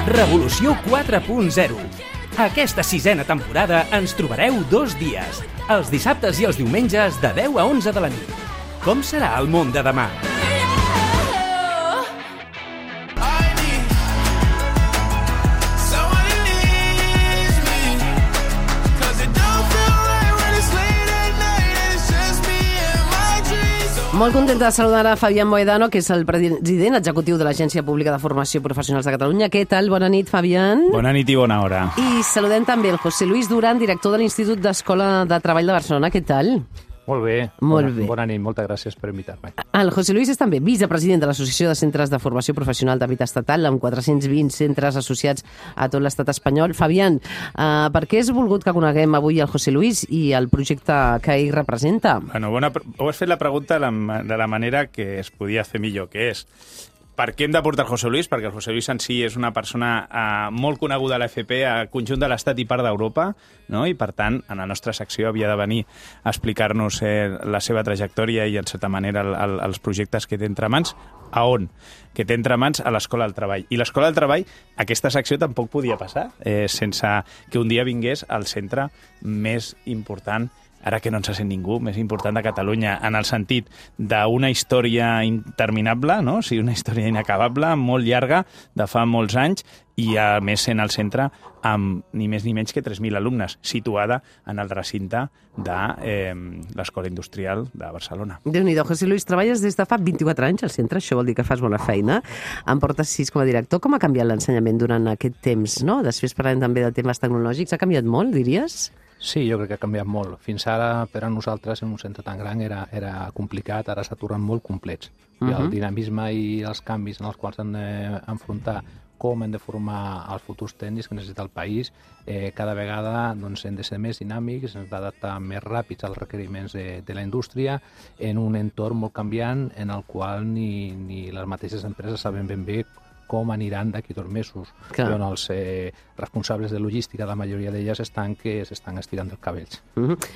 Revolució 4.0. Aquesta 6a temporada ens trobareu 2 dies, els dissabtes i els diumenges de 10 a 11 de la nit. Com serà el món de demà? Molt contenta de saludar a Fabián Mohedano, que és el president executiu de l'Agència Pública de Formació Professionals de Catalunya. Què tal? Bona nit, Fabián. Bona nit i bona hora. I saludem també el José Luis Duran, director de l'Institut d'Escola de Treball de Barcelona. Què tal? Molt bé. Molt bé. Bona nit, moltes gràcies per invitar-me. El José Luis és també vicepresident de l'Associació de Centres de Formació Professional d'Àmbit Estatal, amb 420 centres associats a tot l'estat espanyol. Fabián, per què has volgut que coneguem avui el José Luis i el projecte que ell representa? Bueno, heu fet la pregunta de la manera que es podia fer millor, que és per què hem de portar el José Luis? Perquè el José Luis en si és una persona molt coneguda a l'FP, al conjunt de l'Estat i part d'Europa, no? I per tant, en la nostra secció havia de venir a explicar-nos la seva trajectòria i, en certa manera, els projectes que té entre mans. A on? Que té entre mans a l'Escola del Treball. I l'Escola del Treball, aquesta secció tampoc podia passar sense que un dia vingués al centre més important, ara que no ens sent ningú, més important de Catalunya, en el sentit d'una història interminable, no? O sigui, una història inacabable, molt llarga, de fa molts anys, i a més sent al centre amb ni més ni menys que 3.000 alumnes, situada en el recinte de l'Escola Industrial de Barcelona. Déu-n'hi-do, José Luis, treballes des de fa 24 anys al centre, això vol dir que fas bona feina. En portes 6 com a director. Com ha canviat l'ensenyament durant aquest temps, no? Després parlem també de temes tecnològics. Ha canviat molt, diries? Sí, jo crec que ha canviat molt. Fins ara, per a nosaltres, en un centre tan gran, era complicat, ara s'ha tornat molt complets. I el dinamisme i els canvis en els quals han d'enfrontar com hem de formar els futurs tècnics que necessita el país, cada vegada doncs, hem de ser més dinàmics, hem d'adaptar més ràpids als requeriments de la indústria en un entorn molt canviant en el qual ni les mateixes empreses saben ben bé com aniran d'aquí 2 mesos. Però els responsables de logística, la majoria d'elles s'estan estirant dels cabells.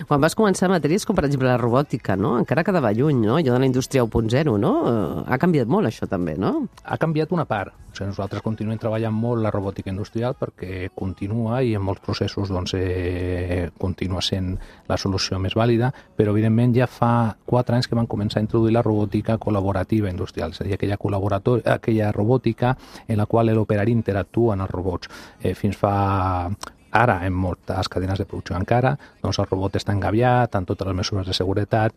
Quan vas començar matèries com, per exemple, la robòtica, no? Encara quedava lluny, no? Allò de la indústria 1.0, no? Ha canviat molt això també, no? Ha canviat una part. O sigui, nosaltres continuem treballant molt la robòtica industrial perquè continua i en molts processos doncs, continua sent la solució més vàlida, però evidentment ja fa 4 anys que van començar a introduir la robòtica col·laborativa industrial, és a dir, aquella robòtica en la qual l'operari interactua amb els robots. Fins fa... Ara, en moltes cadenes de producció encara, doncs el robot està engaviat amb totes les mesures de seguretat.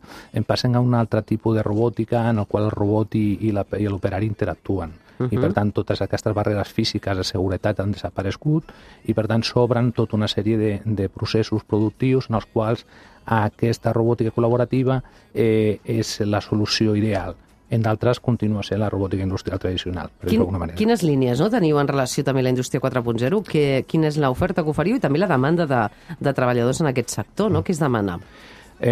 Passem a un altre tipus de robòtica en el qual el robot i l'operari interactuen. I, per tant, totes aquestes barreres físiques de seguretat han desaparegut i, per tant, s'obren tota una sèrie de processos productius en els quals aquesta robòtica col·laborativa és la solució ideal. En d'altres continua sent la robòtica industrial tradicional, per dir-ho d'alguna manera. Quines línies teniu en relació també a la indústria 4.0? Quina és l'oferta que oferiu i també la demanda de treballadors en aquest sector, no? Què es demana?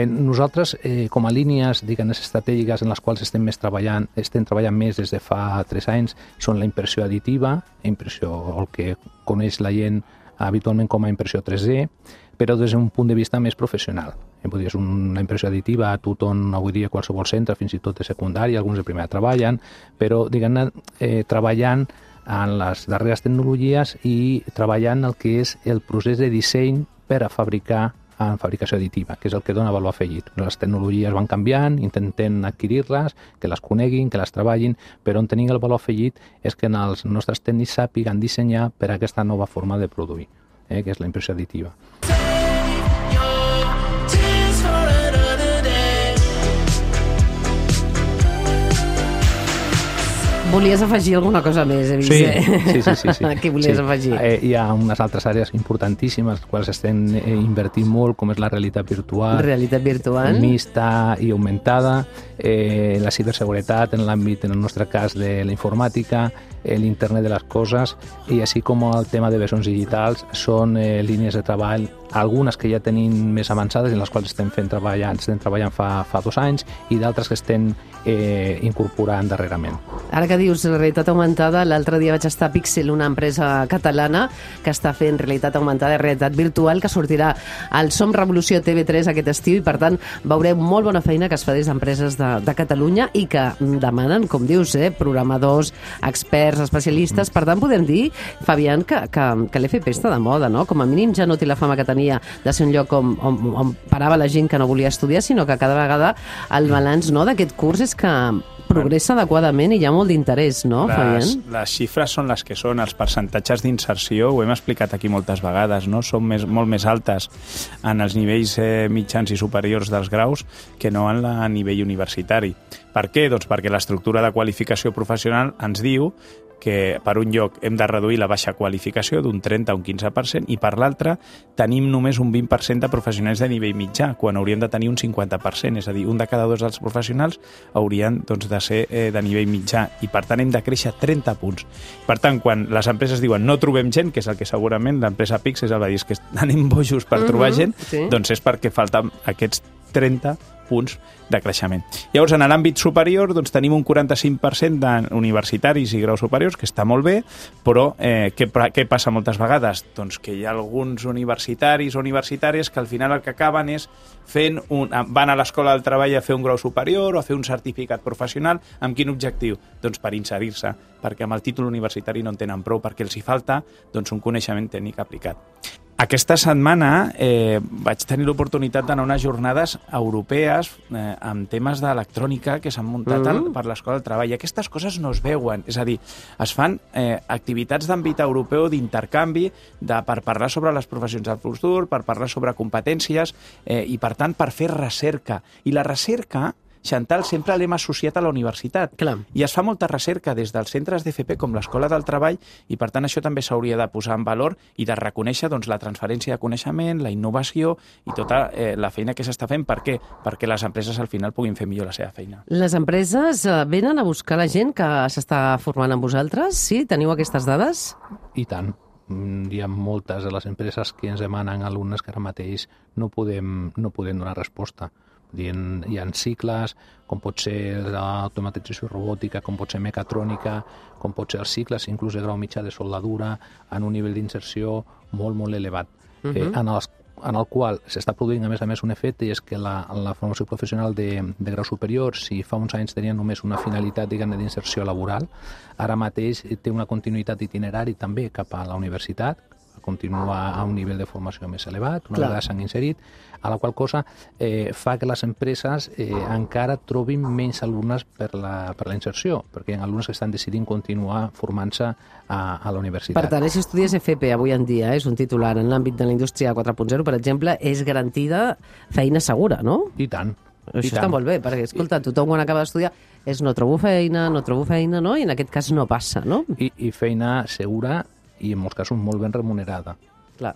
Nosaltres, com a línies estratègiques en les quals estem treballant més des de fa 3 anys, són la impressió additiva, el que coneix la gent habitualment com a impressió 3D, però des d'un punt de vista més professional. És una impressió additiva, tothom avui dia qualsevol centre, fins i tot de secundària, alguns de primera treballen, però diguem-ne treballant en les darreres tecnologies i treballant el que és el procés de disseny per a fabricar en fabricació additiva, que és el que dona valor afegit. Les tecnologies van canviant, intentem adquirir-les, que les coneguin, que les treballin, però on tenim el valor afegit és que els nostres tècnics sàpiguen dissenyar per a aquesta nova forma de produir, que és la impressió additiva. Volies afegir alguna cosa més, he vist. Sí. Què volies afegir? Hi ha unes altres àrees importantíssimes, les quals estem invertint molt, com és la realitat virtual. Realitat virtual. Mixta i augmentada, la ciberseguretat en l'àmbit, en el nostre cas, de la informàtica, l'internet de les coses, i així com el tema de versions digitals, són línies de treball, algunes que ja tenim més avançades, en les quals estem treballant fa 2 anys, i d'altres que estem incorporant darrerament. Ara que dius realitat augmentada, l'altre dia vaig estar a Pixel, una empresa catalana que està fent realitat augmentada i realitat virtual, que sortirà al Som Revolució TV3 aquest estiu, i per tant veureu molt bona feina que es fa des d'empreses de Catalunya i que demanen, com dius, programadors, experts, especialistes. Per tant, podem dir, Fabián, que l'FP està de moda, no? Com a mínim ja no té la fama que tenia de ser un lloc on parava la gent que no volia estudiar, sinó que cada vegada el balanç, no, d'aquest curs és que progressa adequadament i hi ha molt d'interès, no, Fabián? Les xifres són les que són, els percentatges d'inserció, ho hem explicat aquí moltes vegades, no? Són molt més altes en els nivells mitjans i superiors dels graus que no en el nivell universitari. Per què? Doncs perquè l'estructura de qualificació professional ens diu que per un lloc hem de reduir la baixa qualificació d'un 30 a un 15% i per l'altre tenim només un 20% de professionals de nivell mitjà, quan hauríem de tenir un 50%, és a dir, un de cada dos dels professionals haurien de ser de nivell mitjà i per tant hem de créixer 30 punts. Per tant, quan les empreses diuen no trobem gent, que és el que segurament l'empresa Pixel va dir que anem bojos per trobar gent, doncs és perquè falten aquests 30 punts de creixement. Llavors, en l'àmbit superior, doncs, tenim un 45% d'universitaris i graus superiors, que està molt bé, però què passa moltes vegades? Doncs que hi ha alguns universitaris o universitàries que al final el que acaben és van a l'escola del treball a fer un grau superior o a fer un certificat professional. Amb quin objectiu? Doncs per inserir-se, perquè amb el títol universitari no en tenen prou, perquè els hi falta un coneixement tècnic aplicat. Aquesta setmana vaig tenir l'oportunitat d'anar a unes jornades europees amb temes d'electrònica que s'han muntat per l'Escola del Treball. I aquestes coses no es veuen, és a dir, es fan activitats d'àmbit europeu d'intercanvi per parlar sobre les professions del futur, per parlar sobre competències i, per tant, per fer recerca. I la recerca, Chantal, sempre l'hem associat a la universitat. Clar. I es fa molta recerca des dels centres d'FP com l'Escola del Treball i, per tant, això també s'hauria de posar en valor i de reconèixer la transferència de coneixement, la innovació i tota la feina que s'està fent. Per què? Perquè les empreses al final puguin fer millor la seva feina. Les empreses venen a buscar la gent que s'està formant amb vosaltres? Sí? Teniu aquestes dades? I tant. Hi ha moltes de les empreses que ens demanen alumnes que ara mateix no podem donar resposta. Hi ha cicles, com pot ser l'automatització robòtica, com pot ser mecatrònica, com pot ser els cicles, inclús de grau mitjà de soldadura, en un nivell d'inserció molt, molt elevat, en el qual s'està produint, a més, un efecte, i és que la formació professional de grau superior, si fa uns anys tenia només una finalitat, diguem-ne, d'inserció laboral, ara mateix té una continuïtat itinerari també cap a la universitat, continua a un nivell de formació més elevat, una vegada s'han inserit, a la qual cosa fa que les empreses encara trobin menys alumnes per la inserció, perquè hi ha alumnes que estan decidint continuar formant-se a la universitat. Per tant, si estudies FP avui en dia, és un titular en l'àmbit de la indústria 4.0, per exemple, és garantida feina segura, no? I tant. Això està molt bé, perquè, escolta, tothom quan acaba d'estudiar és no trobo feina, no? I en aquest cas no passa, no? I feina segura i en molts casos molt ben remunerada. Clar.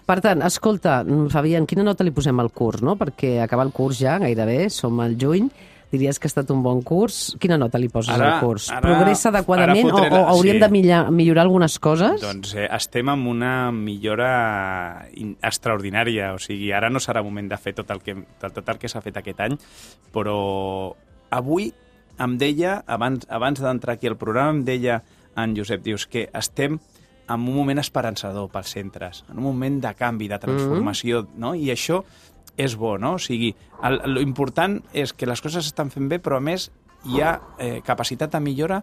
Per tant, escolta, Fabián, quina nota li posem al curs, no? Perquè acaba el curs ja, gairebé, som al juny, diries que ha estat un bon curs. Quina nota li poses al curs? Progressa adequadament o hauríem de millorar algunes coses? Doncs estem en una millora extraordinària, o sigui, ara no serà moment de fer tot el que s'ha fet aquest any, però avui em deia, abans d'entrar aquí al programa, em deia en Josep, dius que estem en un moment esperançador pels centres, en un moment de canvi, de transformació, no? I això és bo, no? O sigui, l'important és que les coses s'estan fent bé, però a més hi ha capacitat de millora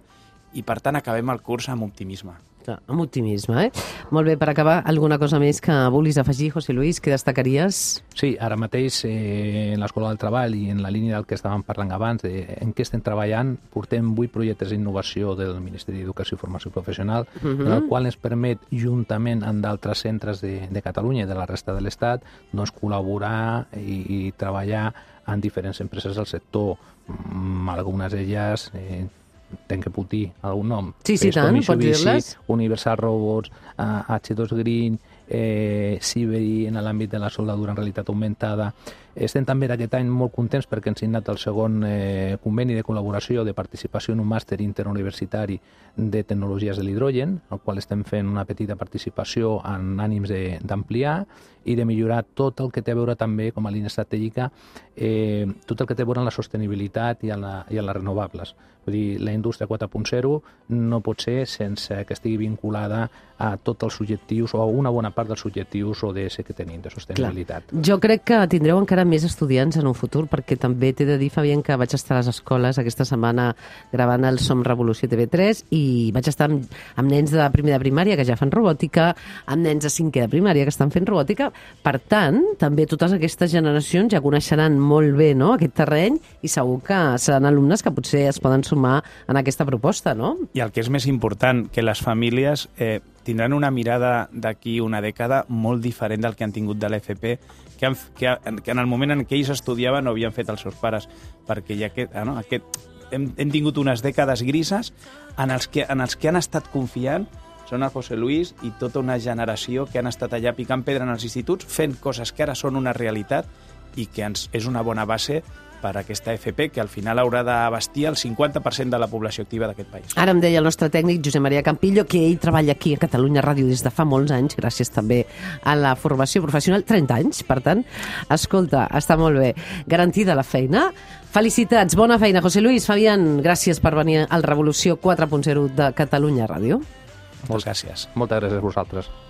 i, per tant, acabem el curs amb optimisme. Clar, amb optimisme, Molt bé, per acabar, alguna cosa més que vulguis afegir, José Luis, que destacaries? Sí, ara mateix en l'Escola del Treball i en la línia del que estàvem parlant abans, en què estem treballant, portem 8 projectes d'innovació del Ministeri d'Educació i Formació Professional, el qual ens permet, juntament amb d'altres centres de Catalunya i de la resta de l'Estat, doncs col·laborar i treballar en diferents empreses del sector. Algunes d'elles tenc que puc dir algun nom. Sí, tant, pots dir-les. Universal Robots, H2 Green, Siberi en l'àmbit de la soldadura en realitat augmentada. Estem també aquest any molt contents perquè hem signat el segon conveni de col·laboració de participació en un màster interuniversitari de tecnologies de l'hidrogen, al qual estem fent una petita participació en ànims d'ampliar i de millorar tot el que té a veure també com a línia estratègica, tot el que té a veure amb la sostenibilitat i amb les renovables. Vull dir, la indústria 4.0 no pot ser sense que estigui vinculada a tots els objectius o a una bona part dels objectius ODS que tenim de sostenibilitat. Clar. Jo crec que tindreu encara més estudiants en un futur, perquè també t'he de dir, Fabián, que vaig estar a les escoles aquesta setmana gravant el Som Revolució TV3 i vaig estar amb nens de primer de primària que ja fan robòtica, amb nens de cinquè de primària que estan fent robòtica. Per tant, també totes aquestes generacions ja coneixeran molt bé, no?, aquest terreny i segur que seran alumnes que potser es poden sumar en aquesta proposta, no? I el que és més important, que les famílies tindran una mirada d'aquí una dècada molt diferent del que han tingut de l'FP, que en el moment en què ells estudiaven no havien fet els seus pares, perquè ja hem tingut unes dècades grises en els que han estat confiant són el José Luis i tota una generació que han estat allà picant pedra en els instituts, fent coses que ara són una realitat i que és una bona base per a aquesta FP, que al final haurà d'abastir el 50% de la població activa d'aquest país. Ara em deia el nostre tècnic, Josep Maria Campillo, que ell treballa aquí a Catalunya Ràdio des de fa molts anys, gràcies també a la formació professional, 30 anys, per tant, escolta, està molt bé. Garantida la feina. Felicitats, bona feina, José Luis. Fabián, gràcies per venir al Revolució 4.0 de Catalunya Ràdio. Moltes gràcies. Moltes gràcies a vosaltres.